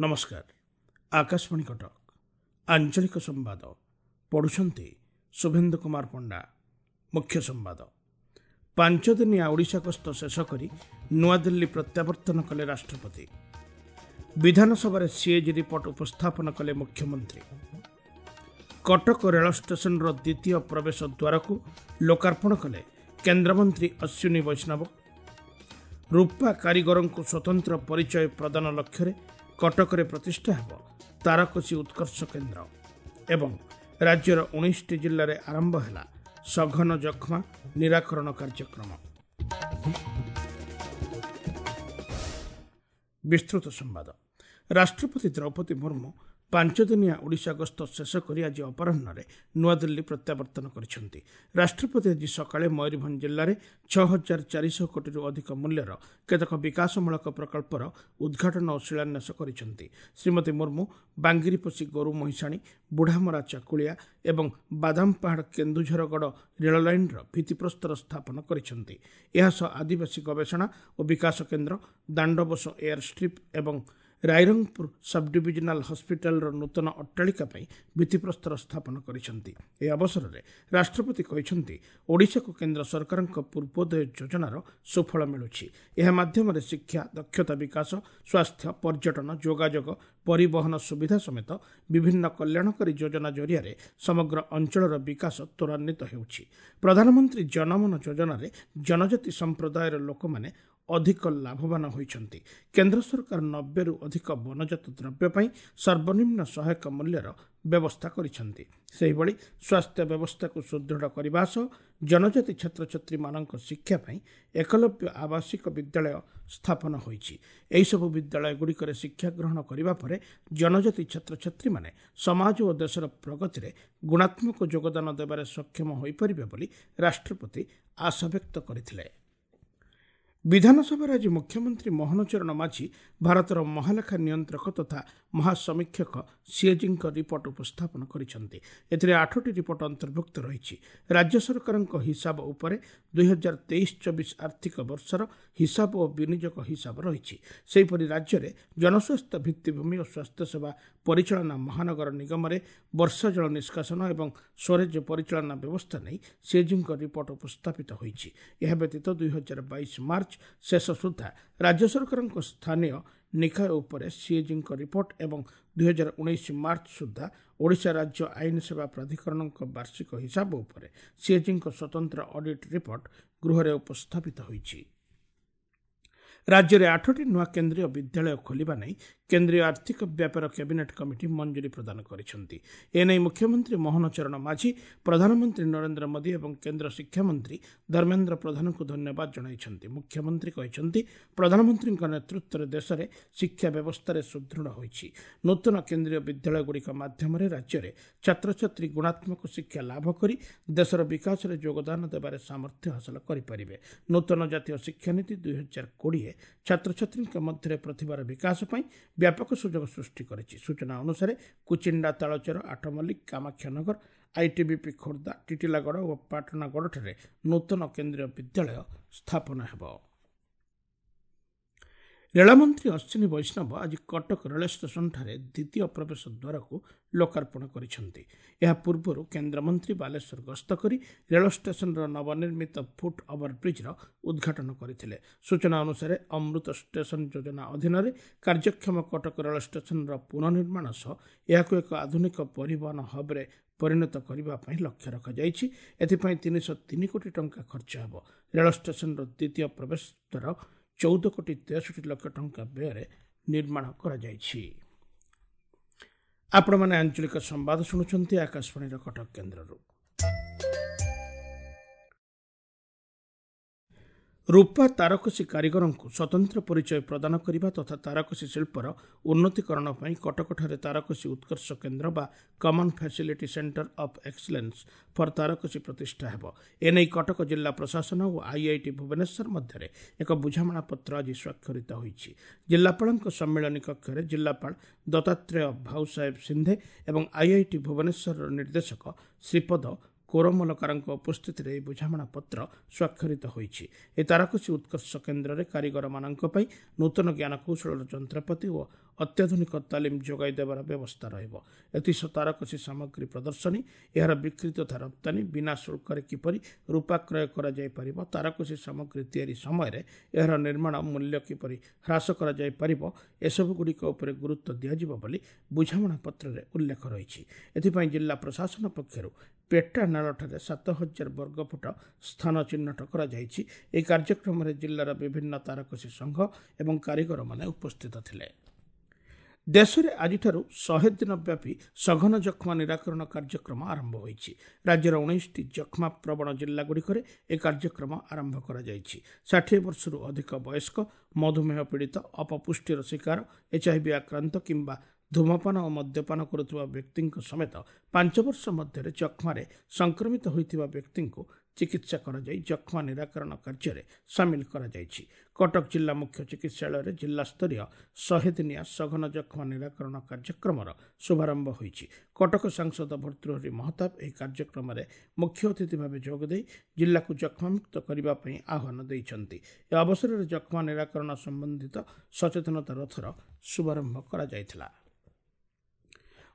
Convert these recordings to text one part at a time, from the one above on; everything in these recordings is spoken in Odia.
ନମସ୍କାର, ଆକାଶବାଣୀ କଟକ, ଆଞ୍ଚଳିକ ସମ୍ବାଦ ପଢ଼ୁଛନ୍ତି ଶୁଭେନ୍ଦୁ କୁମାର ପଣ୍ଡା। ମୁଖ୍ୟ ସମ୍ବାଦ। 5 ଦିନିଆ ଓଡ଼ିଶା ଗସ୍ତ ଶେଷ କରି ନୂଆଦିଲ୍ଲୀ ପ୍ରତ୍ୟାବର୍ତ୍ତନ କଲେ ରାଷ୍ଟ୍ରପତି। ବିଧାନସଭାରେ ସିଏଜି ରିପୋର୍ଟ ଉପସ୍ଥାପନ କଲେ ମୁଖ୍ୟମନ୍ତ୍ରୀ। କଟକ ରେଳ ଷ୍ଟେସନର ଦ୍ୱିତୀୟ ପ୍ରବେଶ ଦ୍ୱାରକୁ ଲୋକାର୍ପଣ କଲେ କେନ୍ଦ୍ରମନ୍ତ୍ରୀ ଅଶ୍ୱିନୀ ବୈଷ୍ଣବ। ରୂପା କାରିଗରଙ୍କୁ ସ୍ୱତନ୍ତ୍ର ପରିଚୟ ପ୍ରଦାନ ଲକ୍ଷ୍ୟରେ କଟକରେ ପ୍ରତିଷ୍ଠା ହେବ ତାରକସି ଉତ୍କର୍ଷ କେନ୍ଦ୍ର। ଏବଂ ରାଜ୍ୟର 19ଟି ଜିଲ୍ଲାରେ ଆରମ୍ଭ ହେଲା ସଘନ ଯକ୍ଷ୍ମା ନିରାକରଣ କାର୍ଯ୍ୟକ୍ରମ। ବିସ୍ତୃତ ସମ୍ବାଦ। ରାଷ୍ଟ୍ରପତି ଦ୍ରୌପଦୀ ମୁର୍ମୁ 5 ଦିନିଆ ଓଡ଼ିଶା ଗସ୍ତ ଶେଷ କରି ଆଜି ଅପରାହ୍ନରେ ନୂଆଦିଲ୍ଲୀ ପ୍ରତ୍ୟାବର୍ତ୍ତନ କରିଛନ୍ତି। ରାଷ୍ଟ୍ରପତି ଆଜି ସକାଳେ ମୟୂରଭଞ୍ଜ ଜିଲ୍ଲାରେ 6400 କୋଟିରୁ ଅଧିକ ମୂଲ୍ୟର କେତେକ ବିକାଶମୂଳକ ପ୍ରକଳ୍ପର ଉଦ୍ଘାଟନ ଓ ଶିଳାନ୍ୟାସ କରିଛନ୍ତି। ଶ୍ରୀମତୀ ମୁର୍ମୁ ବାଙ୍ଗିରିପୋଷି ଗୋରୁ ମହିଷାଣୀ, ବୁଢ଼ାମରା ଚାକୁଳିଆ ଏବଂ ବାଦାମପାହାଡ଼ କେନ୍ଦୁଝରଗଡ଼ ରେଳ ଲାଇନ୍ର ଭିତ୍ତିପ୍ରସ୍ତର ସ୍ଥାପନ କରିଛନ୍ତି। ଏହାସହ ଆଦିବାସୀ ଗବେଷଣା ଓ ବିକାଶ କେନ୍ଦ୍ର, ଦାଣ୍ଡବୋଷ ଏୟାର ଷ୍ଟ୍ରିପ୍ ଏବଂ ରାଇରଙ୍ଗପୁର ସବ୍ଡିଭିଜନାଲ ହସ୍ପିଟାଲର ନୂତନ ଅଟ୍ଟାଳିକା ପାଇଁ ଭିତ୍ତିପ୍ରସ୍ତର ସ୍ଥାପନ କରିଛନ୍ତି। ଏହି ଅବସରରେ ରାଷ୍ଟ୍ରପତି କହିଛନ୍ତି, ଓଡ଼ିଶାକୁ କେନ୍ଦ୍ର ସରକାରଙ୍କ ପୂର୍ବୋଦୟ ଯୋଜନାର ସୁଫଳ ମିଳୁଛି। ଏହା ମାଧ୍ୟମରେ ଶିକ୍ଷା, ଦକ୍ଷତା ବିକାଶ, ସ୍ୱାସ୍ଥ୍ୟ, ପର୍ଯ୍ୟଟନ, ଯୋଗାଯୋଗ, ପରିବହନ ସୁବିଧା ସମେତ ବିଭିନ୍ନ କଲ୍ୟାଣକାରୀ ଯୋଜନା ଜରିଆରେ ସମଗ୍ର ଅଞ୍ଚଳର ବିକାଶ ତ୍ୱରାନ୍ୱିତ ହେଉଛି। ପ୍ରଧାନମନ୍ତ୍ରୀ ଜନମନ ଯୋଜନାରେ ଜନଜାତି ସମ୍ପ୍ରଦାୟର ଲୋକମାନେ ଅଧିକ ଲାଭବାନ ହୋଇଛନ୍ତି। କେନ୍ଦ୍ର ସରକାର 90ରୁ ଅଧିକ ବନଜାତ ଦ୍ରବ୍ୟ ପାଇଁ ସର୍ବନିମ୍ନ ସହାୟକ ମୂଲ୍ୟର ବ୍ୟବସ୍ଥା କରିଛନ୍ତି। ସେହିଭଳି ସ୍ୱାସ୍ଥ୍ୟ ବ୍ୟବସ୍ଥାକୁ ସୁଦୃଢ଼ କରିବା ସହ ଜନଜାତି ଛାତ୍ରଛାତ୍ରୀମାନଙ୍କ ଶିକ୍ଷା ପାଇଁ ଏକଲବ୍ୟ ଆବାସିକ ବିଦ୍ୟାଳୟ ସ୍ଥାପନ ହୋଇଛି। ଏହିସବୁ ବିଦ୍ୟାଳୟଗୁଡ଼ିକରେ ଶିକ୍ଷା ଗ୍ରହଣ କରିବା ପରେ ଜନଜାତି ଛାତ୍ରଛାତ୍ରୀମାନେ ସମାଜ ଓ ଦେଶର ପ୍ରଗତିରେ ଗୁଣାତ୍ମକ ଯୋଗଦାନ ଦେବାରେ ସକ୍ଷମ ହୋଇପାରିବେ ବୋଲି ରାଷ୍ଟ୍ରପତି ଆଶାବ୍ୟକ୍ତ କରିଥିଲେ। ବିଧାନସଭାରେ ଆଜି ମୁଖ୍ୟମନ୍ତ୍ରୀ ମୋହନ ଚରଣ ମାଝୀ ଭାରତର ମହାଲେଖା ନିୟନ୍ତ୍ରକ ତଥା ମହାସମୀକ୍ଷକ ସିଏଜିଙ୍କ ରିପୋର୍ଟ ଉପସ୍ଥାପନ କରିଛନ୍ତି। ଏଥିରେ 8ଟି ରିପୋର୍ଟ ଅନ୍ତର୍ଭୁକ୍ତ ରହିଛି। ରାଜ୍ୟ ସରକାରଙ୍କ ହିସାବ ଉପରେ 2023-24 ଆର୍ଥିକ ବର୍ଷର ହିସାବ ଓ ବିନିଯୋଗ ହିସାବ ରହିଛି। ସେହିପରି ରାଜ୍ୟରେ ଜନସ୍ୱାସ୍ଥ୍ୟ ଭିତ୍ତିଭୂମି ଓ ସ୍ୱାସ୍ଥ୍ୟସେବା ପରିଚାଳନା, ମହାନଗର ନିଗମରେ ବର୍ଷା ଜଳ ନିଷ୍କାସନ ଏବଂ ସ୍ୱରେଜ ପରିଚାଳନା ବ୍ୟବସ୍ଥା ନେଇ ସିଏଜିଙ୍କ ରିପୋର୍ଟ ଉପସ୍ଥାପିତ ହୋଇଛି। ଏହା ବ୍ୟତୀତ 2022 ମାର୍ଚ୍ଚ ଶେଷ ସୁଦ୍ଧା ରାଜ୍ୟ ସରକାରଙ୍କ ସ୍ଥାନୀୟ ନିକାୟ ଉପରେ ସିଏଜିଙ୍କ ରିପୋର୍ଟ ଏବଂ 2019 ମାର୍ଚ୍ଚ ସୁଦ୍ଧା ଓଡ଼ିଶା ରାଜ୍ୟ ଆଇନ ସେବା ପ୍ରାଧିକରଣଙ୍କ ବାର୍ଷିକ ହିସାବ ଉପରେ ସିଏଜିଙ୍କ ସ୍ୱତନ୍ତ୍ର ଅଡିଟ୍ ରିପୋର୍ଟ ଗୃହରେ ଉପସ୍ଥାପିତ ହୋଇଛି। ରାଜ୍ୟରେ 8ଟି ନୂଆ କେନ୍ଦ୍ରୀୟ ବିଦ୍ୟାଳୟ ଖୋଲିବା ନେଇ କେନ୍ଦ୍ରୀୟ ଆର୍ଥିକ ବ୍ୟାପାର କ୍ୟାବିନେଟ୍ କମିଟି ମଞ୍ଜୁରୀ ପ୍ରଦାନ କରିଛନ୍ତି। ଏନେଇ ମୁଖ୍ୟମନ୍ତ୍ରୀ ମୋହନ ଚରଣ ମାଝୀ ପ୍ରଧାନମନ୍ତ୍ରୀ ନରେନ୍ଦ୍ର ମୋଦି ଏବଂ କେନ୍ଦ୍ର ଶିକ୍ଷାମନ୍ତ୍ରୀ ଧର୍ମେନ୍ଦ୍ର ପ୍ରଧାନଙ୍କୁ ଧନ୍ୟବାଦ ଜଣାଇଛନ୍ତି। ମୁଖ୍ୟମନ୍ତ୍ରୀ କହିଛନ୍ତି, ପ୍ରଧାନମନ୍ତ୍ରୀଙ୍କ ନେତୃତ୍ୱରେ ଦେଶରେ ଶିକ୍ଷା ବ୍ୟବସ୍ଥାରେ ସୁଦୃଢ଼ ହୋଇଛି। ନୂତନ କେନ୍ଦ୍ରୀୟ ବିଦ୍ୟାଳୟଗୁଡ଼ିକ ମାଧ୍ୟମରେ ରାଜ୍ୟରେ ଛାତ୍ରଛାତ୍ରୀ ଗୁଣାତ୍ମକ ଶିକ୍ଷା ଲାଭ କରି ଦେଶର ବିକାଶରେ ଯୋଗଦାନ ଦେବାରେ ସାମର୍ଥ୍ୟ ହାସଲ କରିପାରିବେ। ନୂତନ ଜାତୀୟ ଶିକ୍ଷାନୀତି 2020 ଛାତ୍ରଛାତ୍ରୀଙ୍କ ମଧ୍ୟରେ ପ୍ରତିଭାର ବିକାଶ ପାଇଁ ବ୍ୟାପକ ସୁଯୋଗ ସୃଷ୍ଟି କରିଛି। ସୂଚନା ଅନୁସାରେ କୁଚିଣ୍ଡା, ତାଳଚେର, ଆଠମଲ୍ଲିକ, କାମାକ୍ଷାନଗର, ଆଇଟିବିପି ଖୋର୍ଦ୍ଧା, ଟିଟିଲାଗଡ଼ ଓ ପାଟଣାଗଡ଼ଠାରେ ନୂତନ କେନ୍ଦ୍ରୀୟ ବିଦ୍ୟାଳୟ ସ୍ଥାପନ ହେବ। ରେଳମନ୍ତ୍ରୀ ଅଶ୍ୱିନୀ ବୈଷ୍ଣବ ଆଜି କଟକ ରେଳ ଷ୍ଟେସନଠାରେ ଦ୍ୱିତୀୟ ପ୍ରବେଶ ଦ୍ୱାରକୁ ଲୋକାର୍ପଣ କରିଛନ୍ତି। ଏହା ପୂର୍ବରୁ କେନ୍ଦ୍ରମନ୍ତ୍ରୀ ବାଲେଶ୍ୱର ଗସ୍ତ କରି ରେଳ ଷ୍ଟେସନର ନବନିର୍ମିତ ଫୁଟ୍ ଓଭରବ୍ରିଜ୍ର ଉଦ୍ଘାଟନ କରିଥିଲେ। ସୂଚନା ଅନୁସାରେ ଅମୃତ ଷ୍ଟେସନ ଯୋଜନା ଅଧୀନରେ କାର୍ଯ୍ୟକ୍ଷମ କଟକ ରେଳ ଷ୍ଟେସନର ପୁନଃନିର୍ମାଣ ସହ ଏହାକୁ ଏକ ଆଧୁନିକ ପରିବହନ ହବ୍ରେ ପରିଣତ କରିବା ପାଇଁ ଲକ୍ଷ୍ୟ ରଖାଯାଇଛି। ଏଥିପାଇଁ 303 କୋଟି ଟଙ୍କା ଖର୍ଚ୍ଚ ହେବ। ରେଳ ଷ୍ଟେସନର ଦ୍ୱିତୀୟ ପ୍ରବେଶ ଦ୍ୱାର 14 କୋଟି 63 ଲକ୍ଷ ଟଙ୍କା ବ୍ୟୟରେ ନିର୍ମାଣ କରାଯାଇଛି। ଆପଣମାନେ ଆଞ୍ଚଳିକ ସମ୍ବାଦ ଶୁଣୁଛନ୍ତି ଆକାଶବାଣୀର କଟକ କେନ୍ଦ୍ରରୁ। ରୂପା ତାରକସି କାରିଗରଙ୍କୁ ସ୍ୱତନ୍ତ୍ର ପରିଚୟ ପ୍ରଦାନ କରିବା ତଥା ତାରକସି ଶିଳ୍ପର ଉନ୍ନତିକରଣ ପାଇଁ କଟକଠାରେ ତାରକସି ଉତ୍କର୍ଷ କେନ୍ଦ୍ର ବା common facility centre of excellence for ତାରକସି ପ୍ରତିଷ୍ଠା ହେବ। ଏନେଇ କଟକ ଜିଲ୍ଲା ପ୍ରଶାସନ ଓ ଆଇଆଇଟି ଭୁବନେଶ୍ୱର ମଧ୍ୟରେ ଏକ ବୁଝାମଣାପତ୍ର ଆଜି ସ୍ୱାକ୍ଷରିତ ହୋଇଛି। ଜିଲ୍ଲାପାଳଙ୍କ ସମ୍ମିଳନୀ କକ୍ଷରେ ଜିଲ୍ଲାପାଳ ଦତ୍ତାତ୍ରେୟ ଭାଉସାହେବ ସିନ୍ଧେ ଏବଂ ଆଇଆଇଟି ଭୁବନେଶ୍ୱରର ନିର୍ଦ୍ଦେଶକ ଶ୍ରୀପଦ କୋରମଲକାରଙ୍କ ଉପସ୍ଥିତିରେ ଏହି ବୁଝାମଣାପତ୍ର ସ୍ୱାକ୍ଷରିତ ହୋଇଛି। ଏହି ତାରକସି ଉତ୍କର୍ଷ କେନ୍ଦ୍ରରେ କାରିଗରମାନଙ୍କ ପାଇଁ ନୂତନ ଜ୍ଞାନକୌଶଳର ଯନ୍ତ୍ରପାତି ଓ ଅତ୍ୟାଧୁନିକ ତାଲିମ ଯୋଗାଇ ଦେବାର ବ୍ୟବସ୍ଥା ରହିବ। ଏଥିସହ ତାରକସି ସାମଗ୍ରୀ ପ୍ରଦର୍ଶନୀ, ଏହାର ବିକ୍ରି ତଥା ରପ୍ତାନୀ, ବିନା ଶୁଳ୍କରେ କିପରି ରୂପା କ୍ରୟ କରାଯାଇପାରିବ, ତାରକସି ସାମଗ୍ରୀ ତିଆରି ସମୟରେ ଏହାର ନିର୍ମାଣ ମୂଲ୍ୟ କିପରି ହ୍ରାସ କରାଯାଇପାରିବ, ଏସବୁଗୁଡ଼ିକ ଉପରେ ଗୁରୁତ୍ୱ ଦିଆଯିବ ବୋଲି ବୁଝାମଣାପତ୍ରରେ ଉଲ୍ଲେଖ ରହିଛି। ଏଥିପାଇଁ ଜିଲ୍ଲା ପ୍ରଶାସନ ପକ୍ଷରୁ ପେଟାନାଳଠାରେ 7000 ବର୍ଗଫୁଟ ସ୍ଥାନ ଚିହ୍ନଟ କରାଯାଇଛି। ଏହି କାର୍ଯ୍ୟକ୍ରମରେ ଜିଲ୍ଲାର ବିଭିନ୍ନ ତାରକସି ସଂଘ ଏବଂ କାରିଗରମାନେ ଉପସ୍ଥିତ ଥିଲେ। ଦେଶରେ ଆଜିଠାରୁ 100 ଦିନ ବ୍ୟାପୀ ସଘନ ଯକ୍ଷ୍ମା ନିରାକରଣ କାର୍ଯ୍ୟକ୍ରମ ଆରମ୍ଭ ହୋଇଛି। ରାଜ୍ୟର 19ଟି ଯକ୍ଷ୍ମା ପ୍ରବଣ ଜିଲ୍ଲାଗୁଡ଼ିକରେ ଏହି କାର୍ଯ୍ୟକ୍ରମ ଆରମ୍ଭ କରାଯାଇଛି। 60 ବର୍ଷରୁ ଅଧିକ ବୟସ୍କ, ମଧୁମେହ ପୀଡ଼ିତ, ଅପପୁଷ୍ଟିର ଶିକାର, ଏଚ୍ଆଇଭି ଆକ୍ରାନ୍ତ କିମ୍ବା ଧୂମପାନ ଓ ମଦ୍ୟପାନ କରୁଥିବା ବ୍ୟକ୍ତିଙ୍କ ସମେତ 5 ବର୍ଷ ମଧ୍ୟରେ ଯକ୍ଷ୍ମାରେ ସଂକ୍ରମିତ ହୋଇଥିବା ବ୍ୟକ୍ତିଙ୍କୁ ଚିକିତ୍ସା କରାଯାଇ ଯକ୍ଷ୍ମା ନିରାକରଣ କାର୍ଯ୍ୟରେ ସାମିଲ କରାଯାଇଛି। କଟକ ଜିଲ୍ଲା ମୁଖ୍ୟ ଚିକିତ୍ସାଳୟରେ ଜିଲ୍ଲାସ୍ତରୀୟ 100 ଦିନିଆ ସଘନ ଯକ୍ଷ୍ମା ନିରାକରଣ କାର୍ଯ୍ୟକ୍ରମର ଶୁଭାରମ୍ଭ ହୋଇଛି। କଟକ ସାଂସଦ ଭର୍ତ୍ତୃହରି ମହତାବ ଏହି କାର୍ଯ୍ୟକ୍ରମରେ ମୁଖ୍ୟ ଅତିଥି ଭାବେ ଯୋଗଦେଇ ଜିଲ୍ଲାକୁ ଯକ୍ଷ୍ମାମୁକ୍ତ କରିବା ପାଇଁ ଆହ୍ୱାନ ଦେଇଛନ୍ତି। ଏ ଅବସରରେ ଯକ୍ଷ୍ମା ନିରାକରଣ ସମ୍ବନ୍ଧିତ ସଚେତନତା ରଥର ଶୁଭାରମ୍ଭ କରାଯାଇଥିଲା।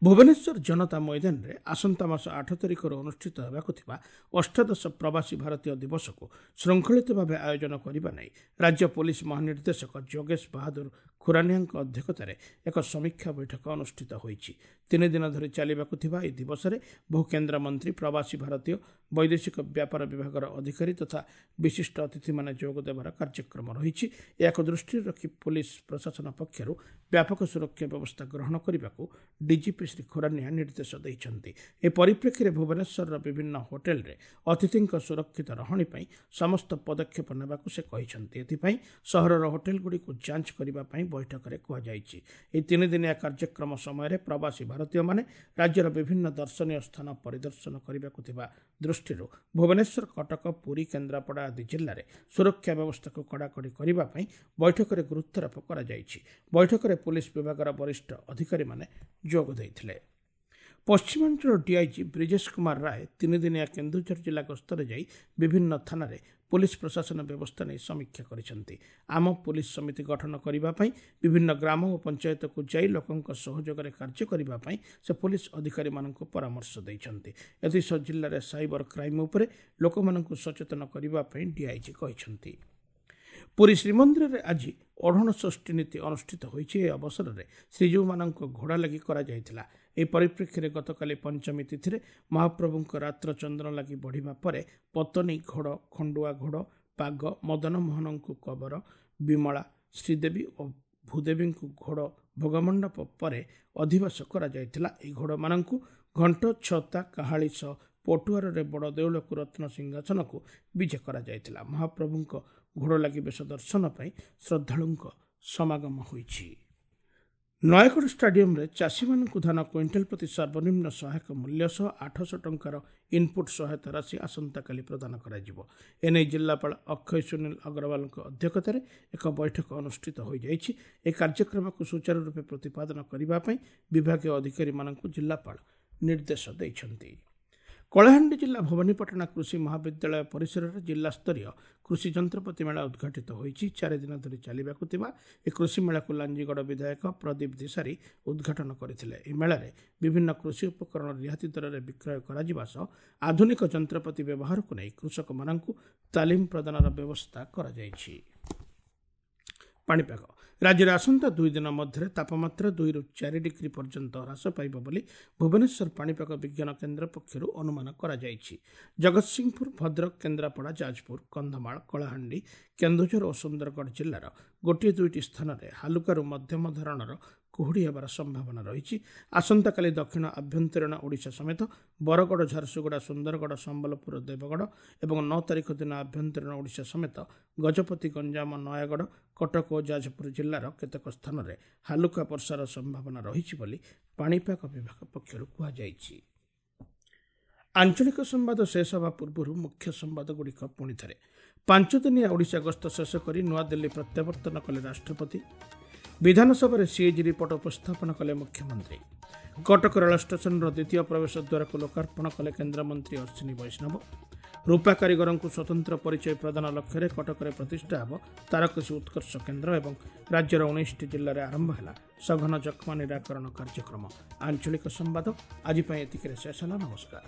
ଭୁବନେଶ୍ୱର ଜନତା ମଇଦାନରେ ଆସନ୍ତା ମାସ 8 ତାରିଖରୁ ଅନୁଷ୍ଠିତ ହେବାକୁ ଥିବା ଅଷ୍ଟାଦଶ ପ୍ରବାସୀ ଭାରତୀୟ ଦିବସକୁ ଶୃଙ୍ଖଳିତ ଭାବେ ଆୟୋଜନ କରିବା ନେଇ ରାଜ୍ୟ ପୋଲିସ ମହାନିର୍ଦ୍ଦେଶକ ଯୋଗେଶ ବାହାଦୁର ଖୁରାନିଆଙ୍କ ଅଧ୍ୟକ୍ଷତାରେ ଏକ ସମୀକ୍ଷା ବୈଠକ ଅନୁଷ୍ଠିତ ହୋଇଛି। 3 ଦିନ ଧରି ଚାଲିବାକୁ ଥିବା ଏହି ଦିବସରେ ବହୁ କେନ୍ଦ୍ରମନ୍ତ୍ରୀ, ପ୍ରବାସୀ ଭାରତୀୟ, ବୈଦେଶିକ ବ୍ୟାପାର ବିଭାଗର ଅଧିକାରୀ ତଥା ବିଶିଷ୍ଟ ଅତିଥିମାନେ ଯୋଗ ଦେବାର କାର୍ଯ୍ୟକ୍ରମ ରହିଛି। ଏହାକୁ ଦୃଷ୍ଟିରେ ରଖି ପୋଲିସ ପ୍ରଶାସନ ପକ୍ଷରୁ ବ୍ୟାପକ ସୁରକ୍ଷା ବ୍ୟବସ୍ଥା ଗ୍ରହଣ କରିବାକୁ ଡିଜିପି ଶ୍ରୀ ଖୁରାନିଆ ନିର୍ଦ୍ଦେଶ ଦେଇଛନ୍ତି। ଏ ପରିପ୍ରେକ୍ଷୀରେ ଭୁବନେଶ୍ୱରର ବିଭିନ୍ନ ହୋଟେଲରେ ଅତିଥିଙ୍କ ସୁରକ୍ଷିତ ରହଣି ପାଇଁ ସମସ୍ତ ପଦକ୍ଷେପ ନେବାକୁ ସେ କହିଛନ୍ତି। ଏଥିପାଇଁ ସହରର ହୋଟେଲଗୁଡ଼ିକୁ ଯାଞ୍ଚ କରିବା ପାଇଁ ବୈଠକରେ କୁହାଯାଇଛି। ଏହି 3 ଦିନିଆ କାର୍ଯ୍ୟକ୍ରମ ସମୟରେ ପ୍ରବାସୀ ଭାରତୀୟମାନେ ରାଜ୍ୟର ବିଭିନ୍ନ ଦର୍ଶନୀୟ ସ୍ଥାନ ପରିଦର୍ଶନ କରିବାକୁ ଥିବା ଦୃଷ୍ଟିରୁ ଭୁବନେଶ୍ୱର, କଟକ, ପୁରୀ, କେନ୍ଦ୍ରାପଡ଼ା ଆଦି ଜିଲ୍ଲାରେ ସୁରକ୍ଷା ବ୍ୟବସ୍ଥାକୁ କଡ଼ାକଡ଼ି କରିବା ପାଇଁ ବୈଠକରେ ଗୁରୁତ୍ୱାରୋପ କରାଯାଇଛି। ବୈଠକରେ ପୋଲିସ ବିଭାଗର ବରିଷ୍ଠ ଅଧିକାରୀମାନେ ଯୋଗ ଦେଇଥିଲେ। ପଶ୍ଚିମାଞ୍ଚଳ ଡିଆଇଜି ବ୍ରିଜେଶ କୁମାର ରାୟ 3 ଦିନିଆ କେନ୍ଦୁଝର ଜିଲ୍ଲା ଗସ୍ତରେ ଯାଇ ବିଭିନ୍ନ ଥାନାରେ ପୋଲିସ ପ୍ରଶାସନ ବ୍ୟବସ୍ଥା ନେଇ ସମୀକ୍ଷା କରିଛନ୍ତି। ଆମ ପୋଲିସ ସମିତି ଗଠନ କରିବା ପାଇଁ ବିଭିନ୍ନ ଗ୍ରାମ ଓ ପଞ୍ଚାୟତକୁ ଯାଇ ଲୋକଙ୍କ ସହଯୋଗରେ କାର୍ଯ୍ୟ କରିବା ପାଇଁ ସେ ପୋଲିସ ଅଧିକାରୀମାନଙ୍କୁ ପରାମର୍ଶ ଦେଇଛନ୍ତି। ଏଥିସହ ଜିଲ୍ଲାରେ ସାଇବର କ୍ରାଇମ୍ ଉପରେ ଲୋକମାନଙ୍କୁ ସଚେତନ କରିବା ପାଇଁ ଡିଆଇଜି କହିଛନ୍ତି। ପୁରୀ ଶ୍ରୀମନ୍ଦିରରେ ଆଜି ଓଢ଼ଣ ଷଷ୍ଠୀ ନୀତି ଅନୁଷ୍ଠିତ ହୋଇଛି। ଏହି ଅବସରରେ ଶ୍ରୀଜୀଉମାନଙ୍କ ଘୋଡ଼ା ଲାଗି କରାଯାଇଥିଲା। ଏହି ପରିପ୍ରେକ୍ଷୀରେ ଗତକାଲି ପଞ୍ଚମୀ ତିଥିରେ ମହାପ୍ରଭୁଙ୍କ ରାତ୍ର ଚନ୍ଦନ ଲାଗି ବଢ଼ିବା ପରେ ପତନୀ ଘୋଡ଼, ଖଣ୍ଡୁଆ ଘୋଡ଼, ପାଗ, ମଦନମୋହନଙ୍କୁ କବର, ବିମଳା, ଶ୍ରୀଦେବୀ ଓ ଭୂଦେବୀଙ୍କୁ ଘୋଡ଼ ଭୋଗମଣ୍ଡପ ପରେ ଅଧିବାସ କରାଯାଇଥିଲା। ଏହି ଘୋଡ଼ମାନଙ୍କୁ ଘଣ୍ଟ, ଛତା, କାହାଳି ସହ ପଟୁଆରରେ ବଡ଼ ଦେଉଳକୁ ରତ୍ନ ସିଂହାସନକୁ ବିଜେ କରାଯାଇଥିଲା। ମହାପ୍ରଭୁଙ୍କ ଘୋଡ଼ ଲାଗି ବେଶ ଦର୍ଶନ ପାଇଁ ଶ୍ରଦ୍ଧାଳୁଙ୍କ ସମାଗମ ହୋଇଛି। ନୟାଗଡ଼ ଷ୍ଟାଡିୟମରେ ଚାଷୀମାନଙ୍କୁ ଧାନ କ୍ୱିଣ୍ଟାଲ ପ୍ରତି ସର୍ବନିମ୍ନ ସହାୟକ ମୂଲ୍ୟ ସହ 800 ଟଙ୍କାର ଇନ୍ପୁଟ୍ ସହାୟତା ରାଶି ଆସନ୍ତାକାଲି ପ୍ରଦାନ କରାଯିବ। ଏନେଇ ଜିଲ୍ଲାପାଳ ଅକ୍ଷୟ ସୁନୀଲ ଅଗ୍ରୱାଲଙ୍କ ଅଧ୍ୟକ୍ଷତାରେ ଏକ ବୈଠକ ଅନୁଷ୍ଠିତ ହୋଇଯାଇଛି। ଏହି କାର୍ଯ୍ୟକ୍ରମକୁ ସୁଚାରୁ ରୂପେ ପ୍ରତିପାଦନ କରିବା ପାଇଁ ବିଭାଗୀୟ ଅଧିକାରୀମାନଙ୍କୁ ଜିଲ୍ଲାପାଳ ନିର୍ଦ୍ଦେଶ ଦେଇଛନ୍ତି। କଳାହାଣ୍ଡି ଜିଲ୍ଲା ଭବାନୀପାଟଣା କୃଷି ମହାବିଦ୍ୟାଳୟ ପରିସରରେ ଜିଲ୍ଲାସ୍ତରୀୟ କୃଷି ଯନ୍ତ୍ରପାତି ମେଳା ଉଦ୍ଘାଟିତ ହୋଇଛି। 4 ଦିନ ଧରି ଚାଲିବାକୁ ଥିବା ଏହି କୃଷି ମେଳାକୁ ଲାଞ୍ଜିଗଡ଼ ବିଧାୟକ ପ୍ରଦୀପ ଦିଶାରୀ ଉଦ୍ଘାଟନ କରିଥିଲେ। ଏହି ମେଳାରେ ବିଭିନ୍ନ କୃଷି ଉପକରଣ ରିହାତି ଦରରେ ବିକ୍ରୟ କରାଯିବା ସହ ଆଧୁନିକ ଯନ୍ତ୍ରପାତି ବ୍ୟବହାରକୁ ନେଇ କୃଷକମାନଙ୍କୁ ତାଲିମ ପ୍ରଦାନର ବ୍ୟବସ୍ଥା କରାଯାଇଛି। ପାଣିପାଗ ରାଜ୍ୟରେ ଆସନ୍ତା 2 ଦିନ ମଧ୍ୟରେ ତାପମାତ୍ରା 2ରୁ 4 ଡିଗ୍ରୀ ପର୍ଯ୍ୟନ୍ତ ହ୍ରାସ ପାଇବ ବୋଲି ଭୁବନେଶ୍ୱର ପାଣିପାଗ ବିଜ୍ଞାନ କେନ୍ଦ୍ର ପକ୍ଷରୁ ଅନୁମାନ କରାଯାଇଛି। ଜଗତସିଂହପୁର, ଭଦ୍ରକ, କେନ୍ଦ୍ରାପଡ଼ା, ଯାଜପୁର, କନ୍ଧମାଳ, କଳାହାଣ୍ଡି, କେନ୍ଦୁଝର ଓ ସୁନ୍ଦରଗଡ଼ ଜିଲ୍ଲାର ଗୋଟିଏ ଦୁଇଟି ସ୍ଥାନରେ ହାଲୁକାରୁ ମଧ୍ୟମ ଧରଣର କୁହୁଡ଼ି ହେବାର ସମ୍ଭାବନା ରହିଛି। ଆସନ୍ତାକାଲି ଦକ୍ଷିଣ ଆଭ୍ୟନ୍ତରୀଣ ଓଡ଼ିଶା ସମେତ ବରଗଡ଼, ଝାରସୁଗୁଡ଼ା, ସୁନ୍ଦରଗଡ଼, ସମ୍ବଲପୁର, ଦେବଗଡ଼ ଏବଂ 9 ତାରିଖ ଦିନ ଆଭ୍ୟନ୍ତରୀଣ ଓଡ଼ିଶା ସମେତ ଗଜପତି, ଗଞ୍ଜାମ, ନୟାଗଡ଼, କଟକ ଓ ଯାଜପୁର ଜିଲ୍ଲାର କେତେକ ସ୍ଥାନରେ ହାଲୁକା ବର୍ଷାର ସମ୍ଭାବନା ରହିଛି ବୋଲି ପାଣିପାଗ ବିଭାଗ ପକ୍ଷରୁ କୁହାଯାଇଛି। ଆଞ୍ଚଳିକ ସମ୍ବାଦ ଶେଷ ହେବା ପୂର୍ବରୁ ମୁଖ୍ୟ ସମ୍ବାଦଗୁଡ଼ିକ ପୁଣିଥରେ। 5 ଦିନିଆ ଓଡ଼ିଶା ଗସ୍ତ ଶେଷ କରି ନୂଆଦିଲ୍ଲୀ ପ୍ରତ୍ୟାବର୍ତ୍ତନ କଲେ ରାଷ୍ଟ୍ରପତି। ବିଧାନସଭାରେ ସିଏଜି ରିପୋର୍ଟ ଉପସ୍ଥାପନ କଲେ ମୁଖ୍ୟମନ୍ତ୍ରୀ। କଟକ ରେଳ ଷ୍ଟେସନର ଦ୍ୱିତୀୟ ପ୍ରବେଶ ଦ୍ୱାରକୁ ଲୋକାର୍ପଣ କଲେ କେନ୍ଦ୍ରମନ୍ତ୍ରୀ ଅଶ୍ୱିନୀ ବୈଷ୍ଣବ। ରୂପା କାରିଗରଙ୍କୁ ସ୍ୱତନ୍ତ୍ର ପରିଚୟ ପ୍ରଦାନ ଲକ୍ଷ୍ୟରେ କଟକରେ ପ୍ରତିଷ୍ଠା ହେବ ତାରକସି ଉତ୍କର୍ଷ କେନ୍ଦ୍ର ଏବଂ ରାଜ୍ୟର 19ଟି ଜିଲ୍ଲାରେ ଆରମ୍ଭ ହେଲା ସଘନ ଯକ୍ଷ୍ମା ନିରାକରଣ କାର୍ଯ୍ୟକ୍ରମ। ଆଞ୍ଚଳିକ ସମ୍ବାଦ ଆଜି ପାଇଁ ଏତିକିରେ ଶେଷ ହେଲା। ନମସ୍କାର।